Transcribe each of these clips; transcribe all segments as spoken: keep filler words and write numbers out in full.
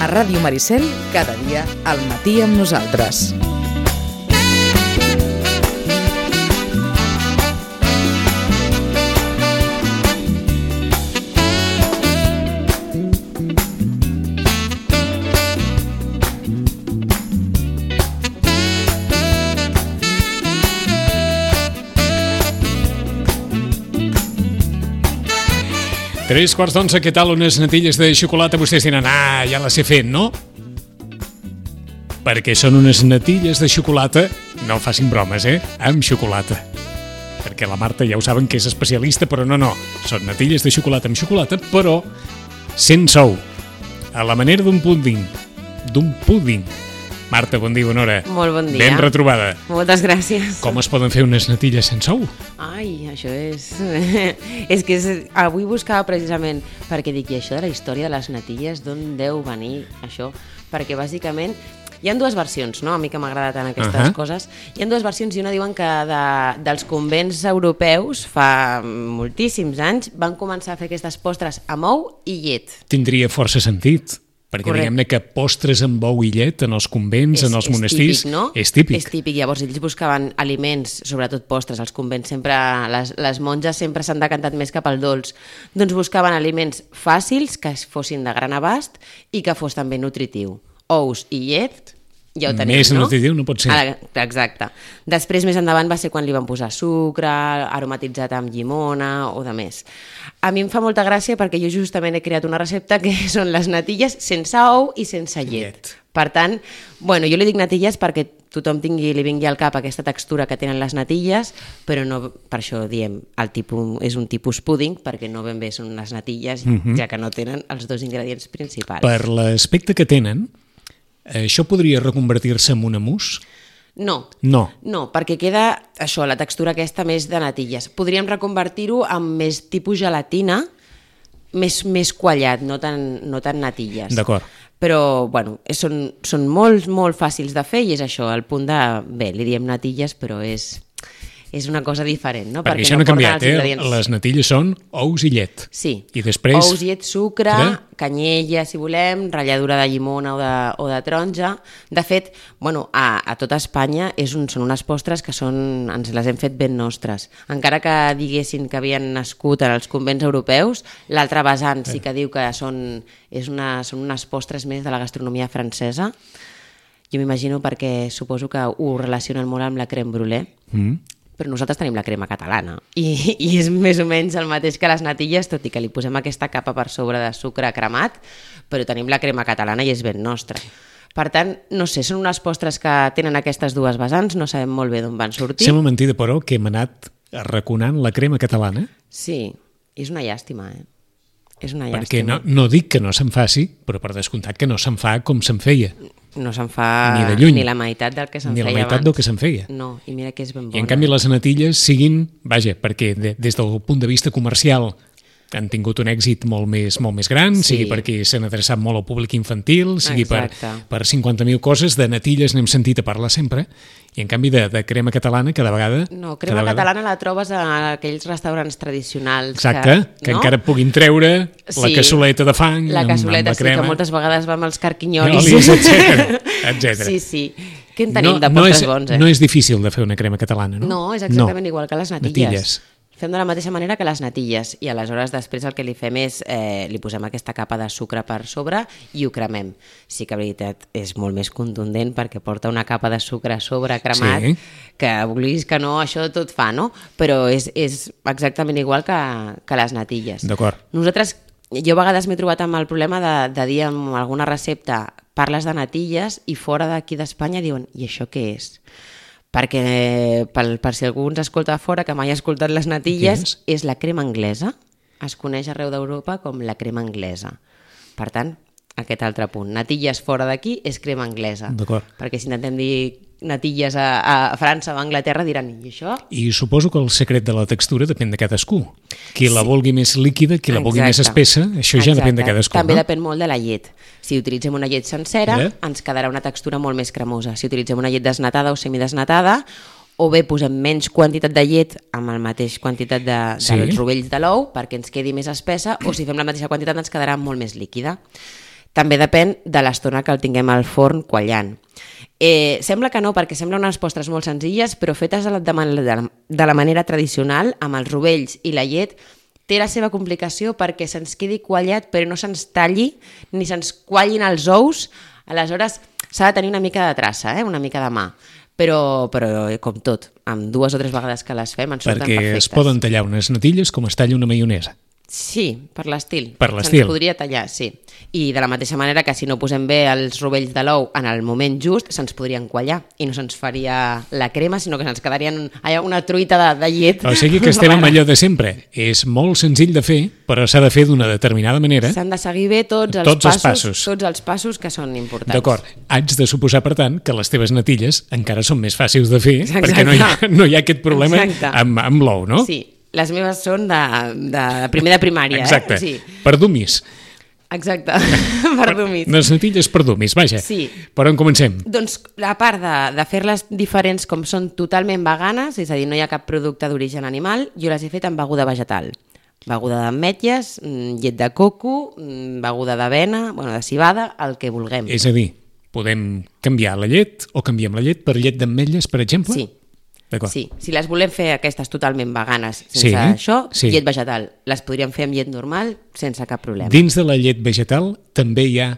A Ràdio Maricel, cada dia al matí amb nosaltres. Tres quarts d'onze, què tal? Unes natilles de xocolata, vostès diran, ah, ja les he fet, no? Perquè són unes natilles de xocolata, no facin bromes, eh? Amb xocolata. Perquè la Marta ja ho saben que és especialista, però no, no. Són natilles de xocolata amb xocolata, però sense ou. A la manera d'un púding. D'un púding. Marta, bon dia, bona hora. Molt bon dia. Ben retrobada. Moltes gràcies. Com es poden fer unes natilles sense ou? Ai, això és... és que és... avui buscava precisament perquè dic, i això de la història de les natilles, d'on deu venir això? Perquè bàsicament hi ha dues versions, no? A mi que m'agrada tant aquestes uh-huh. coses. Hi ha dues versions i una diuen que de, dels convents europeus fa moltíssims anys van començar a fer aquestes postres amb ou i llet. Tindria força sentit. Perquè diguem-ne que postres amb ou i llet en els convents, és, en els monestirs, típic, no? és típic. És típic, llavors ells buscaven aliments, sobretot postres, als convents sempre, les, les monges sempre s'han decantat més cap al dolç, doncs buscaven aliments fàcils, que fossin de gran abast i que fos també nutritiu. Ous i llet, ja ho tenim, més no? nutritiu no pot ser. Ara, exacte. Després, més endavant, va ser quan li van posar sucre, aromatitzat amb llimona o de més. A mi em fa molta gràcia perquè jo justament he creat una recepta que són les natilles sense ou i sense llet. llet. Per tant, bueno, jo li dic natilles perquè tothom tingui, li vingui al cap aquesta textura que tenen les natilles, però no, per això diem, el tipus, és un tipus púding, perquè no ben bé són unes natilles, uh-huh. ja que no tenen els dos ingredients principals. Per l'aspecte que tenen, això podria reconvertir-se en una mousse? No, no, no, perquè queda això, la textura aquesta més de natilles. Podríem reconvertir-ho en més tipus gelatina, més, més quallat, no tan, no tan natilles. D'acord. Però, bueno, són, són molt, molt fàcils de fer i és això, el punt de... Bé, li diem natilles, però és... és una cosa diferent, no? Perquè, Perquè això no ha canviat, eh? Les natilles són ous i llet. Sí. I després... Ous, llet, sucre, Cre? canyella, si volem, ratlladura de llimona o de, o de taronja. De fet, bueno, a, a tota Espanya és un, són unes postres que són, ens les hem fet ben nostres. Encara que diguessin que havien nascut en els convents europeus, l'altre vessant sí que diu que són, és una, són unes postres més de la gastronomia francesa. Jo m'imagino perquè suposo que ho relacionen molt amb la crème brûlée. Mm. Però nosaltres tenim la crema catalana i, i és més o menys el mateix que les natilles, tot i que li posem aquesta capa per sobre de sucre cremat, però tenim la crema catalana i és ben nostra. Per tant, no sé, són unes postres que tenen aquestes dues vessants, no sabem molt bé d'on van sortir. Sembla mentida, però, que hem anat arraconant la crema catalana. Sí, és una llàstima, eh? És una llàstima. Perquè no, no dic que no se'n faci, però per descomptat que no se'n fa com se'n feia. No se'n fa ni, de lluny, ni la meitat del que se'n feia abans. Ni la meitat abans. del que se'n feia. No, i mira que és ben bona. I en canvi les natilles siguin, vaja, perquè de, des del punt de vista comercial han tingut un èxit molt més, molt més gran, sí. sigui perquè s'han adreçat molt al públic infantil, sigui per, per cinquanta mil coses, de natilles n'hem sentit a parlar sempre, i en canvi de, de crema catalana cada vegada... No, crema cada catalana vegada... la trobes a aquells restaurants tradicionals. Exacte, que, que no? encara puguin treure sí. la cassoleta de fang la cassoleta, amb, amb la crema. Sí, que moltes vegades va amb els carquinyolis. Olis, etcètera, etcètera. Sí, sí. Què en tenim no, de no postres és, bons, eh? No és difícil de fer una crema catalana, no? No, és exactament no. igual que les natilles. natilles. Fem de la mateixa manera que les natilles i aleshores després el que li fem és eh, li posem aquesta capa de sucre per sobre i ho cremem. Sí que en veritat és molt més contundent perquè porta una capa de sucre a sobre cremat sí. que vulguis que no, això tot fa, no? Però és, és exactament igual que, que les natilles. D'acord. Nosaltres, jo a vegades m'he trobat amb el problema de, de dir en alguna recepta parles de natilles i fora d'aquí d'Espanya diuen i això què és? Perquè per, per si algú ens escolta fora que mai ha escoltat les natilles, és? és la crema anglesa, es coneix arreu d'Europa com la crema anglesa. Per tant, aquest altre punt, natilles fora d'aquí és crema anglesa. D'acord. Perquè si intentem dir natilles a, a França o a Anglaterra diran, i això? I suposo que el secret de la textura depèn de cadascú. Qui sí. la vulgui més líquida, qui la vulgui Exacte. més espessa, això ja Exacte. depèn de cadascú. També no? depèn molt de la llet. Si utilitzem una llet sencera, eh? ens quedarà una textura molt més cremosa. Si utilitzem una llet desnatada o semidesnatada, o bé posem menys quantitat de llet amb la mateixa quantitat de, dels sí. rovells de l'ou perquè ens quedi més espessa, o si fem la mateixa quantitat ens quedarà molt més líquida. També depèn de l'estona que el tinguem al forn quallant. Eh, sembla que no, perquè sembla unes postres molt senzilles, però fetes de la, de la manera tradicional, amb els rovells i la llet, té la seva complicació perquè se'ns quedi quallat però no se'ns talli ni se'ns quallin els ous. Aleshores s'ha de tenir una mica de traça, eh? Una mica de mà, però, però com tot, amb dues o tres vegades que les fem ens surten perquè perfectes. Perquè es poden tallar unes natilles com es talla una maionesa. Sí, per l'estil. Per l'estil. Se'ns podria tallar, sí. I de la mateixa manera que si no posem bé els rovells de l'ou en el moment just, se'ns podrien quallar i no se'ns faria la crema, sinó que se'ns quedarien allà una truita de, de llet. O sigui que estem amb allò de sempre. És molt senzill de fer, però s'ha de fer d'una determinada manera. S'han de seguir bé tots els, tots els passos, passos. Tots els passos que són importants. D'acord. Haig de suposar, per tant, que les teves natilles encara són més fàcils de fer, Exacte. perquè no hi ha, no hi ha aquest problema amb, amb l'ou, no? Sí. Les meves són de, de primer de primària. Exacte, eh? Sí. Per dumis. Exacte, per dumis. Les natilles per dumis, vaja. Sí. Per on comencem? Doncs a part de, de fer-les diferents com són totalment veganes, és a dir, no hi ha cap producte d'origen animal, jo les he fet amb beguda vegetal. Beguda d'ametlles, llet de coco, beguda d'avena, bueno, de civada, el que vulguem. És a dir, podem canviar la llet o canviem la llet per llet d'ametlles, per exemple? Sí. Sí, si les volem fer aquestes totalment veganes sense sí, això, sí. llet vegetal. Les podríem fer amb llet normal sense cap problema. Dins de la llet vegetal també hi ha,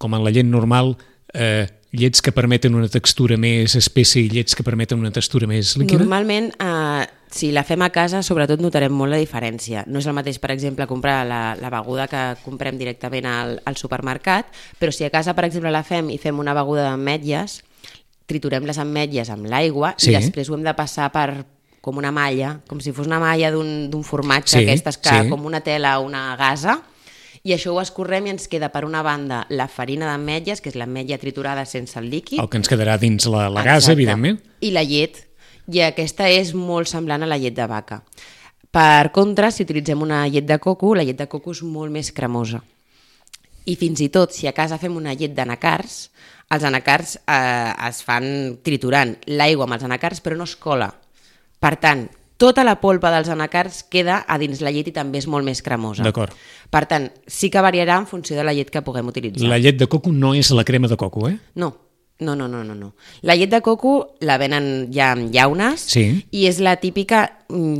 com en la llet normal, eh, llets que permeten una textura més espessa i llets que permeten una textura més líquida? Normalment, eh, si la fem a casa, sobretot notarem molt la diferència. No és el mateix, per exemple, comprar la, la beguda que comprem directament al, al supermercat, però si a casa, per exemple, la fem i fem una beguda d'ametlles, triturem les ametlles amb l'aigua sí. i després ho hem de passar per com una malla, com si fos una malla d'un formatge, sí, aquestes que sí. com una tela o una gasa, i això ho escorrem i ens queda per una banda la farina d'ametlles, que és l'ametlla triturada sense el líquid. El que ens quedarà dins la, la gasa, evidentment. I la llet, i aquesta és molt semblant a la llet de vaca. Per contra, si utilitzem una llet de coco, la llet de coco és molt més cremosa. I fins i tot, si a casa fem una llet d'anacards, els anacards eh, es fan triturant l'aigua amb els anacards, però no es cola. Per tant, tota la polpa dels anacards queda a dins la llet i també és molt més cremosa. D'acord. Per tant, sí que variarà en funció de la llet que puguem utilitzar. La llet de coco no és la crema de coco, eh? No. No, no, no, no, no. La llet de coco la venen ja amb llaunes sí. i és la típica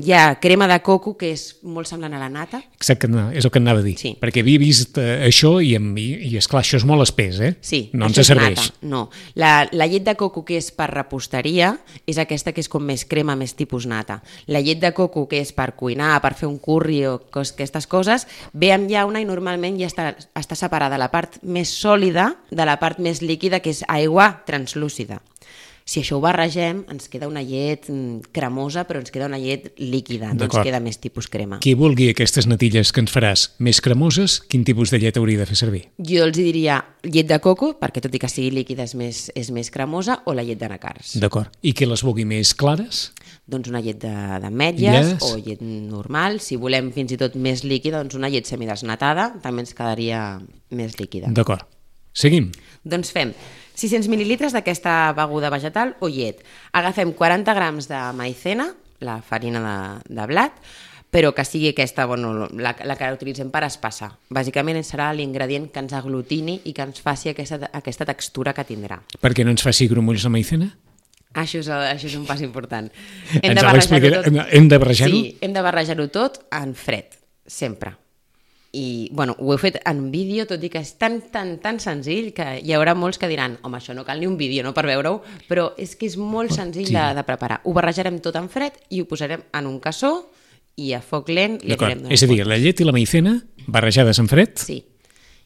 ja crema de coco que és molt semblant a la nata. Exacte, és el que anava a dir. Sí. Perquè havia vist eh, això i, i, i esclar, això és molt espès, eh? Sí, no ens és serveix. Nata. No. La, la llet de coco que és per reposteria és aquesta que és com més crema, més tipus nata. La llet de coco que és per cuinar, per fer un curri o cos, aquestes coses, ve amb llauna i normalment ja està, està separada la part més sòlida de la part més líquida, que és aigua translúcida. Si això ho barregem, ens queda una llet cremosa, però ens queda una llet líquida, no ens queda més tipus crema. Qui vulgui aquestes natilles que ens faràs més cremoses, quin tipus de llet hauria de fer servir? Jo els diria llet de coco, perquè tot i que sigui líquida és més, és més cremosa, o la llet d'anacards. D'acord. I qui les vulgui més clares? Doncs una llet d'ametlles yes. o llet normal. Si volem fins i tot més líquida, doncs una llet semidesnatada també ens quedaria més líquida. D'acord. Seguim. Doncs fem sis-cents mil·lilitres d'aquesta beguda vegetal o llet. Agafem quaranta grams de maicena, la farina de, de blat, però que sigui aquesta, bueno, la, la que utilitzem per espassar. Bàsicament serà l'ingredient que ens aglutini i que ens faci aquesta, aquesta textura que tindrà. Perquè no ens faci grumolls la maicena? Això és, això és un pas important. Hem ens de barrejar-ho tot. Hem de barrejar-ho? Sí, hem de barrejar-ho tot en fred, sempre. I, bueno, ho he fet en vídeo, tot i que és tan, tan, tan senzill que hi haurà molts que diran home, això no cal ni un vídeo, no, per veure-ho, però és que és molt senzill sí. de, de preparar. Ho barrejarem tot en fred i ho posarem en un cassó i a foc lent li anirem donant. És a dir, la llet i la maicena barrejades en fred? Sí.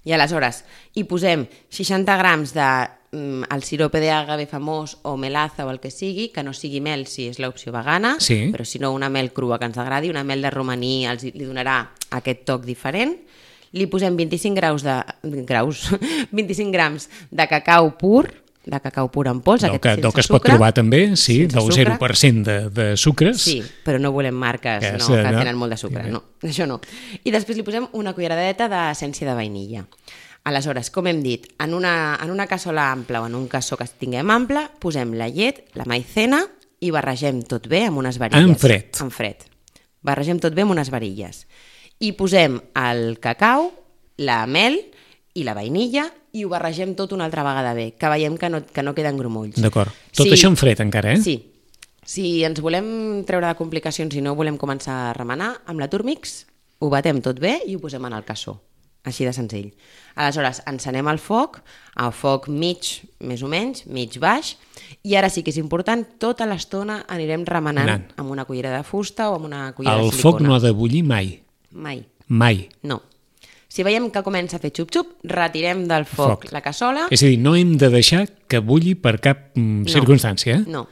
I aleshores hi posem seixanta grams de mm, el sirope d'agave famós o melaza o el que sigui, que no sigui mel si és l'opció vegana, sí. però si no una mel crua que ens agradi, una mel de romaní els, li donarà aquest toc diferent. Li posem vint-i-cinc graus de graus, vint-i-cinc grams de cacau pur, de cacau pur en pols, del aquest que, sense del que es sucre. pot trobar també, sí, sense del sucre. zero per cent de, de sucres. Sí, però no volem marques que, no, és, que no. tenen molt de sucre, no, això no. I després li posem una culleradeta d'essència de vainilla. Aleshores, com hem dit, en una, en una cassola ampla o en un cassó que tinguem ample, posem la llet, la maicena i barregem tot bé amb unes varilles. En fred. En fred. Barregem tot bé amb unes varilles. I posem el cacau, la mel i la vainilla i ho barregem tot una altra vegada bé, que veiem que no, que no queden grumolls. D'acord. Tot sí, això en fred encara, eh? Sí. Si ens volem treure de complicacions i no volem començar a remenar, amb la Turmix ho batem tot bé i ho posem en el cassó. Així de senzill. Aleshores, encenem el foc, a foc mig, més o menys, mig baix, i ara sí que és important, tota l'estona anirem remenant Anant. amb una cullera de fusta o amb una cullera El de silicona. foc no ha de bullir mai. Mai. Mai. No. Si veiem que comença a fer xup-xup, retirem del foc, Foc. la cassola. És a dir, no hem de deixar que bulli per cap mm, circumstància, eh? No.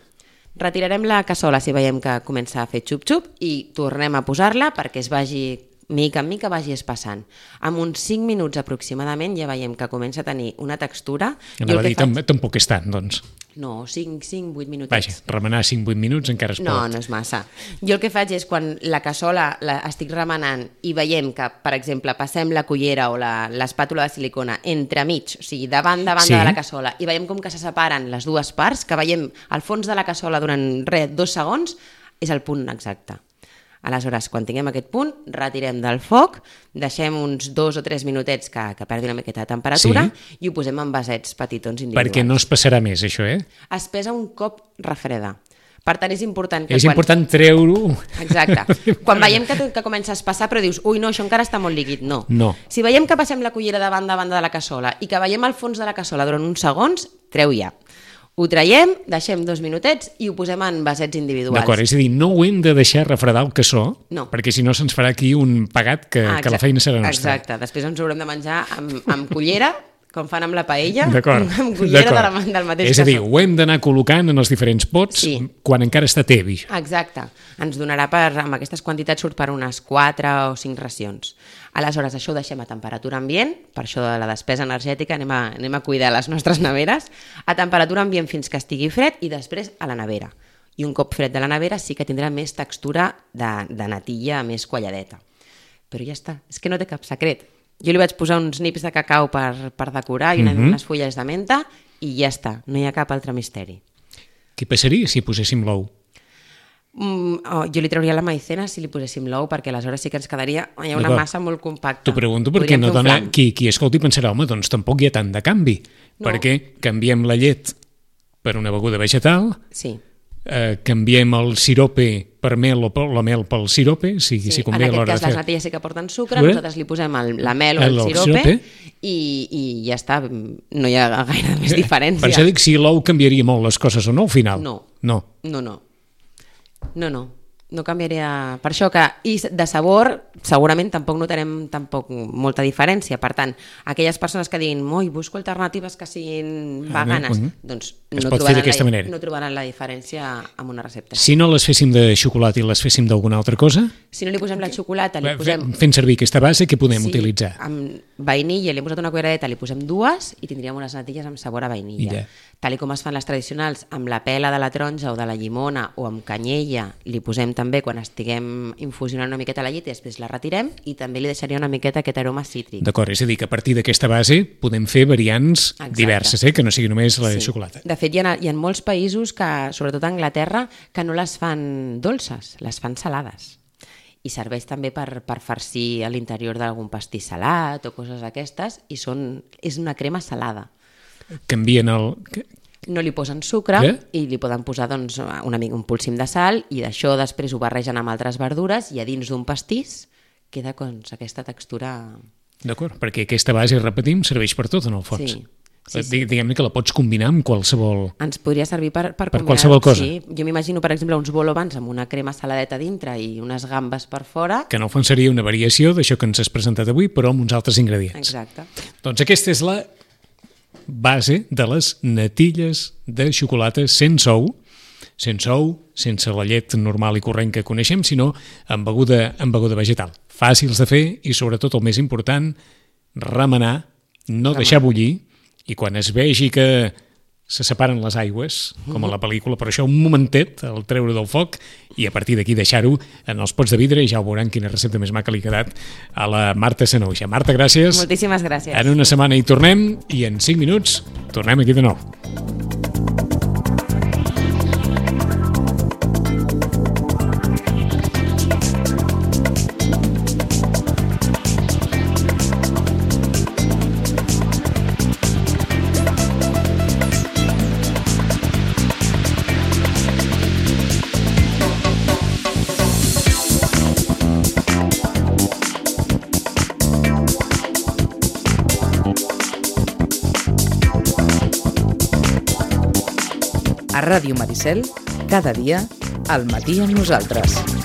Retirarem la cassola si veiem que comença a fer xup-xup i tornem a posar-la perquè es vagi, mica en mica, vagi espassant. En uns cinc minuts aproximadament ja veiem que comença a tenir una textura. Anava a dir, faig... tampoc és tant, doncs. No, cinc, cinc, vuit minutets. Vaja, remenar cinc vuit minuts encara es pot. No, no és massa. Jo el que faig és quan la cassola la estic remenant i veiem que, per exemple, passem la cullera o la- l'espàtula de silicona entremig, o sigui, davant de banda Sí. de la cassola, i veiem com que se separen les dues parts, que veiem al fons de la cassola durant res, dos segons, és el punt exacte. Aleshores, quan tinguem aquest punt, retirem del foc, deixem uns dos o tres minutets que, que perdi una miqueta de temperatura Sí. i ho posem en vasets petitons individuals. Perquè no es passarà més, això, eh? Es pesa un cop refreda. Per tant, és important que És quan... important treure-ho. Exacte. Quan veiem que, que comença a espassar, però dius, ui, no, això encara està molt líquid. No. No. Si veiem que passem la cullera de banda a banda de la cassola i que veiem el fons de la cassola durant uns segons, treu ja. Ho traiem, deixem dos minutets i ho posem en vasets individuals. D'acord, és a dir, no ho hem de deixar refredar el cassó, No. perquè si no se'ns farà aquí un pagat que, Ah, que la exacte. feina serà nostra. Exacte. Després ens ho haurem de menjar amb, amb cullera, com fan amb la paella, D'acord. amb cullera de la, d'acord. del mateix És a dir, cassó. ho hem d'anar col·locant en els diferents pots Sí. quan encara està tebi. Exacte. Ens donarà per, amb aquestes quantitats surt per unes quatre o cinc racions. Aleshores, això ho deixem a temperatura ambient, per això de la despesa energètica anem a, anem a cuidar les nostres neveres, a temperatura ambient fins que estigui fred i després a la nevera. I un cop fred de la nevera sí que tindrà més textura de, de natilla més qualladeta. Però ja està, és que no té cap secret. Jo li vaig posar uns nips de cacau per, per decorar i una, Mhm. unes fulles de menta i ja està, no hi ha cap altre misteri. Què passaria si poséssim l'ou? Mm, oh, jo li trauria la maicena si li poséssim l'ou perquè aleshores sí que ens quedaria hi ha una D'acord. massa molt compacta. T'ho pregunto perquè Podríem no fer un dona... flan. Qui, qui escolti pensarà, home, doncs tampoc hi ha tant de canvi, No. perquè canviem la llet per una beguda vegetal, Sí. eh, canviem el sirope per mel o per, la mel pel sirope, si, Sí, si en convé a aquest l'hora cas de les fer... natilles sí que porten sucre, Bé. nosaltres li posem el, la mel o el, El- el sirope, sirope. I, i ja està, no hi ha gaire més diferència. Per això dic si l'ou canviaria molt les coses o no al final. No. No. No, no. No, no. No canviaria... Per això que... I de sabor, segurament tampoc notarem tampoc molta diferència. Per tant, aquelles persones que diguin oi, busco alternatives que siguin Ah, veganes, bé, doncs es no pot fer trobaran, d'aquesta la, manera. no trobaran la diferència amb una recepta. Si no les féssim de xocolata i les féssim d'alguna altra cosa, Si no li posem la xocolata, li fe- posem... fent servir aquesta base, què podem Sí, utilitzar? amb vainilla, li hem posat una culleradeta, li posem dues i tindríem unes natilles amb sabor a vainilla. Ja. Tal i com es fan les tradicionals, amb la pela de la taronja o de la llimona o amb canyella, li posem també quan estiguem infusionant una miqueta la llet i després la retirem i també li deixaria una miqueta aquest aroma cítric. D'acord, és a dir, que a partir d'aquesta base podem fer variants Exacte. diverses, eh? Que no sigui només la de Sí. xocolata. De fet, hi ha, hi ha molts països, que, sobretot a Anglaterra, que no les fan dolces, les fan salades. I serveix també per, per farcir a l'interior d'algun pastís salat o coses d'aquestes, i són, és una crema salada. Canvien el... No li posen sucre Què? i li poden posar doncs, una mica un polsim de sal i d'això després ho barregen amb altres verdures i a dins d'un pastís queda doncs, aquesta textura... D'acord, perquè aquesta base, repetim, serveix per tot en el fons. Sí. Sí, sí. Digue- Diguem-ne que la pots combinar amb qualsevol... Ens podria servir per, per, Per combinar- qualsevol cosa. Sí. Jo m'imagino, per exemple, uns bolobans amb una crema saladeta dintre i unes gambes per fora. Que en el fons seria una variació d'això que ens has presentat avui, però amb uns altres ingredients. Exacte. Doncs aquesta és la base de les natilles de xocolata sense ou, sense ou, sense la llet normal i corrent que coneixem, sinó amb beguda, amb beguda vegetal. Fàcils de fer i, sobretot, el més important, remenar, no deixar bullir, i quan es vegi que se separen les aigües, com a la pel·lícula, però això un momentet, el treure del foc, i a partir d'aquí deixar-ho en els pots de vidre, i ja ho veuran quina recepta més maca li ha quedat a la Marta Sanouxa. Marta, gràcies. Moltíssimes gràcies. En una setmana hi tornem i en cinc minuts tornem aquí de nou. A Ràdio Maricel, cada dia, al matí amb nosaltres.